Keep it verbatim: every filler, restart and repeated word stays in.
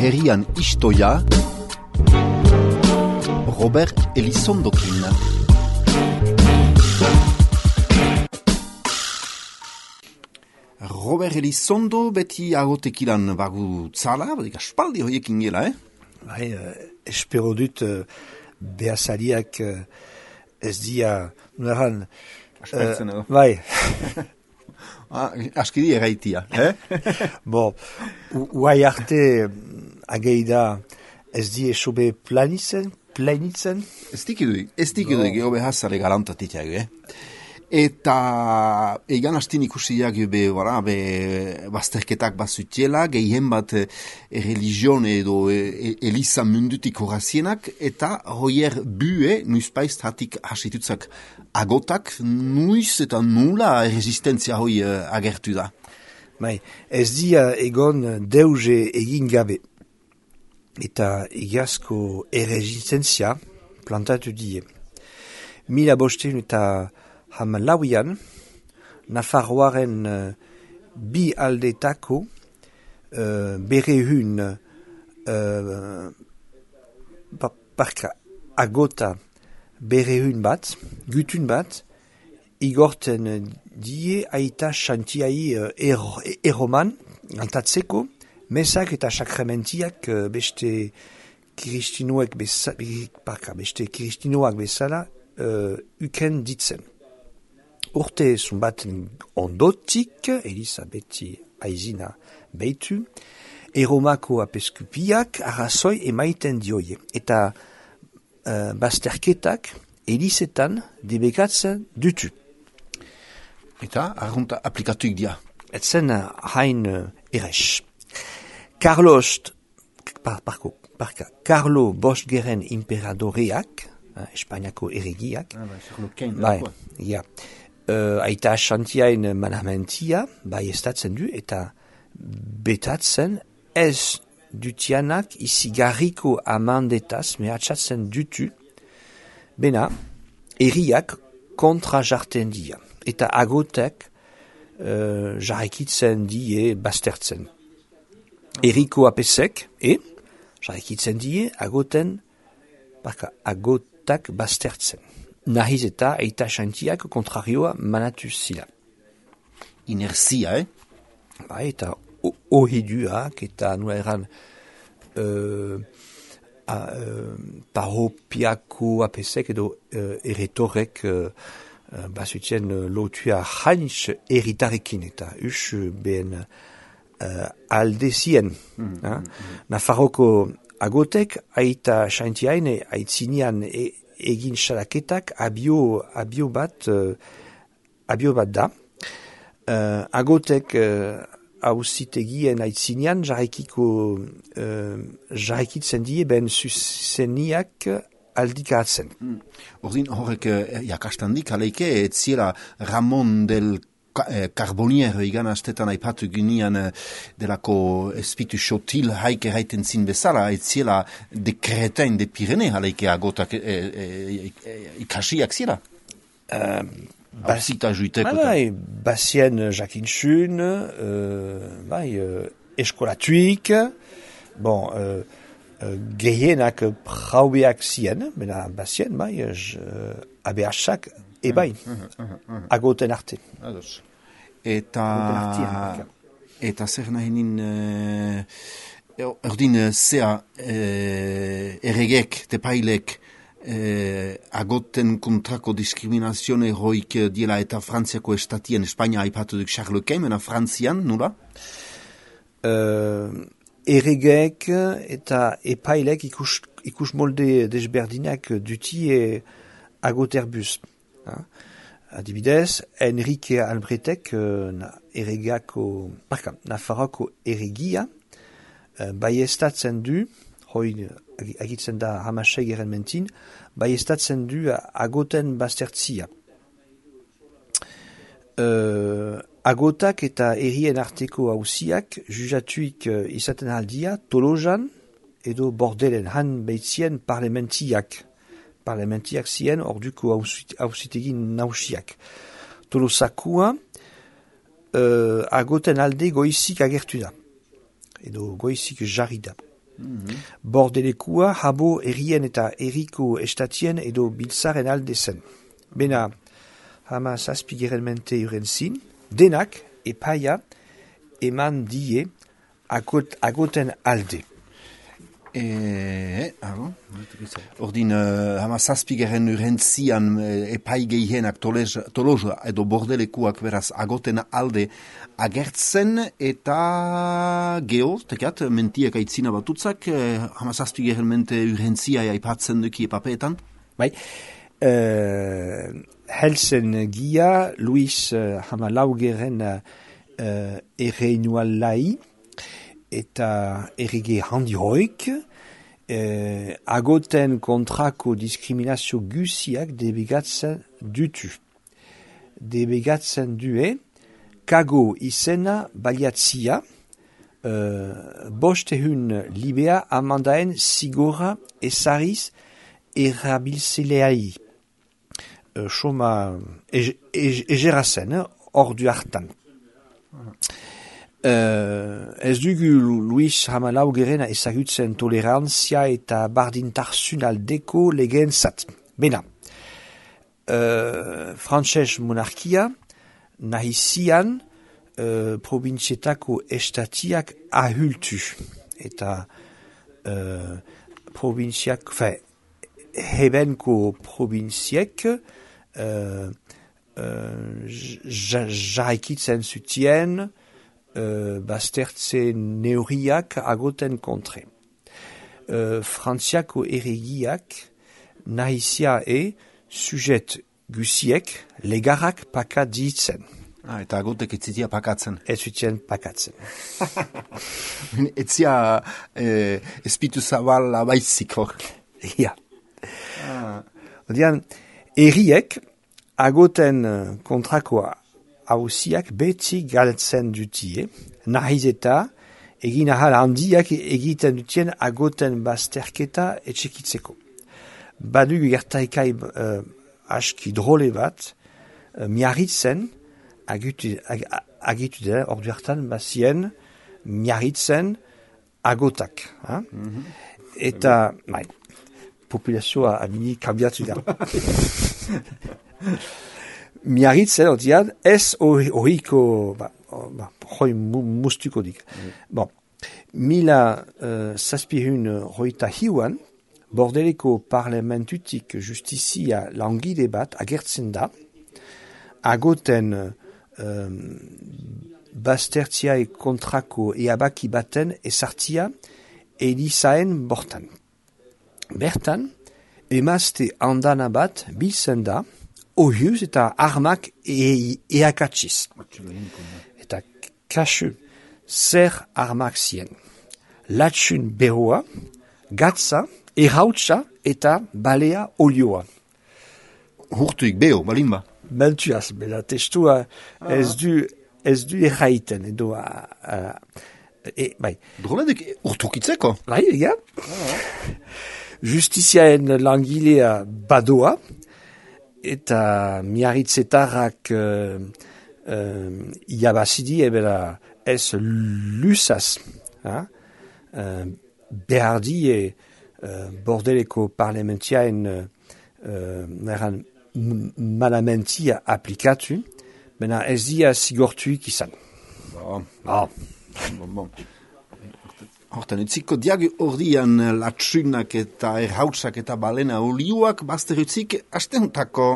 herrian istoia Robert Elizondokin. Robert Elizondo beti agotekilan bagu tzala, badik aspaldi hoiekin gela, eh? Bai, uh, espero dut uh, behazariak uh, ez dia, nueran... Aspertzen edo. Bai. ah, askidi eraitia, eh? Bon, uai arte ageida ez di esobe planitzen, planitzen? Ez dikiduik, ez dikiduik, no. Ego behazare galantatitak, eh? Eta egan hastin ikusiak be, bara, be, bazterketak bazutiela, gehien bat e, religion edo e, eliza mundutik horazienak, eta hoier bue, nuizpaiz hatik hasitutzak agotak, nuiz eta nula resistentzia hoi e, agertu da. Bai, ez dia egon deuze egin gabe, eta egiazko erresistentzia plantatu die. Mila bosteun eta ham lauian, Nafarroaren uh, bi aldetako uh, bere hun uh, parka agota bere hun bat, gutun bat, igorten die aita xantiai uh, er, eroman, antatzeko, mesak eta sakramentiak uh, beste kiristinoak bezala, parka, beste kiristinoak bezala uh, uken ditzen. Urte zumbaten ondotik, Elisabeti aizina beitu, eromako apeskupiak arrazoi emaiten dioie. Eta uh, bazterketak elizetan debekatzen dutu. Eta arrunta aplikatuik dia. Etzen hain uh, errex. Carlos, par, parko, parka, Carlo Bosgeren imperadoreak, uh, Espainiako erregiak, ah, bai, bai, ja, Uh, aita xantiain manamentia, bai estatzen du, eta betatzen ez dutianak izigarriko amandetaz mehatxatzen dutu, bena, erriak kontra jarten dia, eta agotek uh, jarrekitzen die baztertzen. Erriko apesek, e, jarrekitzen die, agoten, baka, agotak baztertzen. Nahiz eta eita xantiak kontrarioa manatu zila. Inerzia, eh? Ba, eta ohiduak eta nula eran uh, uh, paropiako apesek edo uh, eretorek uh, uh, basutien uh, lotua hainitz eritarekin eta us ben uh, aldezien. Mm, uh? mm, mm. Nafarroko agotek aita xantiaine aitzinian e, egin salaketak abio, abio bat uh, abio bat da. Uh, agotek uh, ausitegien aitzinean jarrekiko uh, jarrekitzen die ben zuzeniak aldikatzen. Mm. Ordin horrek uh, jakastandik aleike ez ziela Ramon del Carbonier igan astetan aipatu ginean delako espitu xotil haike haiten zin bezala, ez ziela de Cretain de Pirene aleike agotak e, e, e, ikasiak zira? Uh, Basita juiteko. Bai, basien jakinxun, uh, bai, uh, eskolatuik, bon, uh, uh, gehienak praubeak zien, bena basien, bai, uh, abeasak, ebai, uh, uh, uh, uh. agoten arte. Ados. Eta, eta zer nahi nin, uh, erdin zea uh, erregek, tepailek, uh, agoten kontrako diskriminazione hoik diela eta Frantziako estatien, Espainia aipatu duk Charles Quint, mena Frantzian, nula? Uh, erregek eta epailek ikus, ikus molde desberdinak dutie agoterbus. Ha? Adibidez, Enrique Albretek, uh, erregako, parka, Nafarroko erregia, uh, baiestatzen du, hoi agitzen da hamasei geren mentin, baiestatzen du agoten baztertzia. Uh, agotak eta errien arteko hausiak juzatuik uh, izaten aldia Tolojan edo bordelen han beitzien parlamentiak. Parlamentiak zien orduko hausitegin nausiak. Tolosakua uh, agoten alde goizik agertu da. Edo goizik jarri da. Mm-hmm. Bordelekua habo errien eta erriko estatien edo biltzaren alde zen. Bena, hama zazpigeren mente urentzin, denak epaia eman die agot, agoten alde. E, Ordin, uh, hama zazpigeren urentzian uh, epai gehienak toloza edo bordelekuak beraz agoten alde agertzen eta geho, tekat, mentiak aitzina batutzak, uh, hama zazpigeren mente urentzia aipatzen duki epapeetan? Bai, uh, helsen gia, Luis uh, hama laugeren uh, erreinual lai, eta errege handi hoik, eh, agoten kontrako diskriminazio guziak debegatzen dutu. Debegatzen due, kago izena baliatzia, eh, bostehun libea amandaen zigora ezariz erabiltzeleai. Eh, Soma egerazen, eh, ordu hartan. Uh, ez dugu Luis Hamalaugeren ezagutzen tolerantzia eta bardintarsun aldeko legentzat. Bena, uh, Frantses monarkia nahizian uh, probintzietako estatiak ahultu. Eta uh, probintziak, fe, hebenko probintziek uh, uh, jarraikitzen zutien Uh, baztertze neurriak agoten kontre. Uh, Frantziako erregiak nahizia e sujet guziek legarak pakat ditzen. Ah, eta agotek etzitia pakatzen. Ez zutien pakatzen. Etzia eh, espitu zabal abaizik hor. Ja. Ah. Odian, erriek agoten kontrakoa hausiak beti galtzen dutie, nahiz eta egin ahal handiak egiten dutien agoten bazterketa etxekitzeko. Badugu gertaikai uh, aski drole bat, uh, miarritzen agitu, ag, agitu da, ordu hartan bazien miarritzen agotak. Ha? Mm-hmm. Eta, mai, populazioa abini kambiatu da. Miarritzen, otian, ez horiko, ba, ba, hoi mustuko dik. Mm. Bon, mila uh, zazpihun hoita hiuan, Bordeleko parlamentutik justizia langile bat agertzen da, agoten um, baztertziai kontrako eabaki baten ezartzia Elizaen bortan. Bertan, emazte handana bat biltzen da, ohiuz eta armak e eakatsiz. Eta kasu zer armak zien. Latxun beroa, gatza, errautsa eta balea olioa. Hurtuik beho, balimba? Bentuaz, bela testua ah. ez du, ez du erraiten, edo, uh, e, bai. Droledek urtukitzeko? Bai, ega. Ah. Justiziaen langilea badoa, eta miarritzetarrak uh, uh, iabazidi ebera ez lusaz. Ha? Uh, behar die uh, Bordeleko parlamentiaen uh, malamentia aplikatu, bena ez dia zigortuik izan. Bon. Oh. Bon, bon. Horten, utziko diag ordian latsunak eta erhautsak eta balena olioak bazter utzik astehuntako.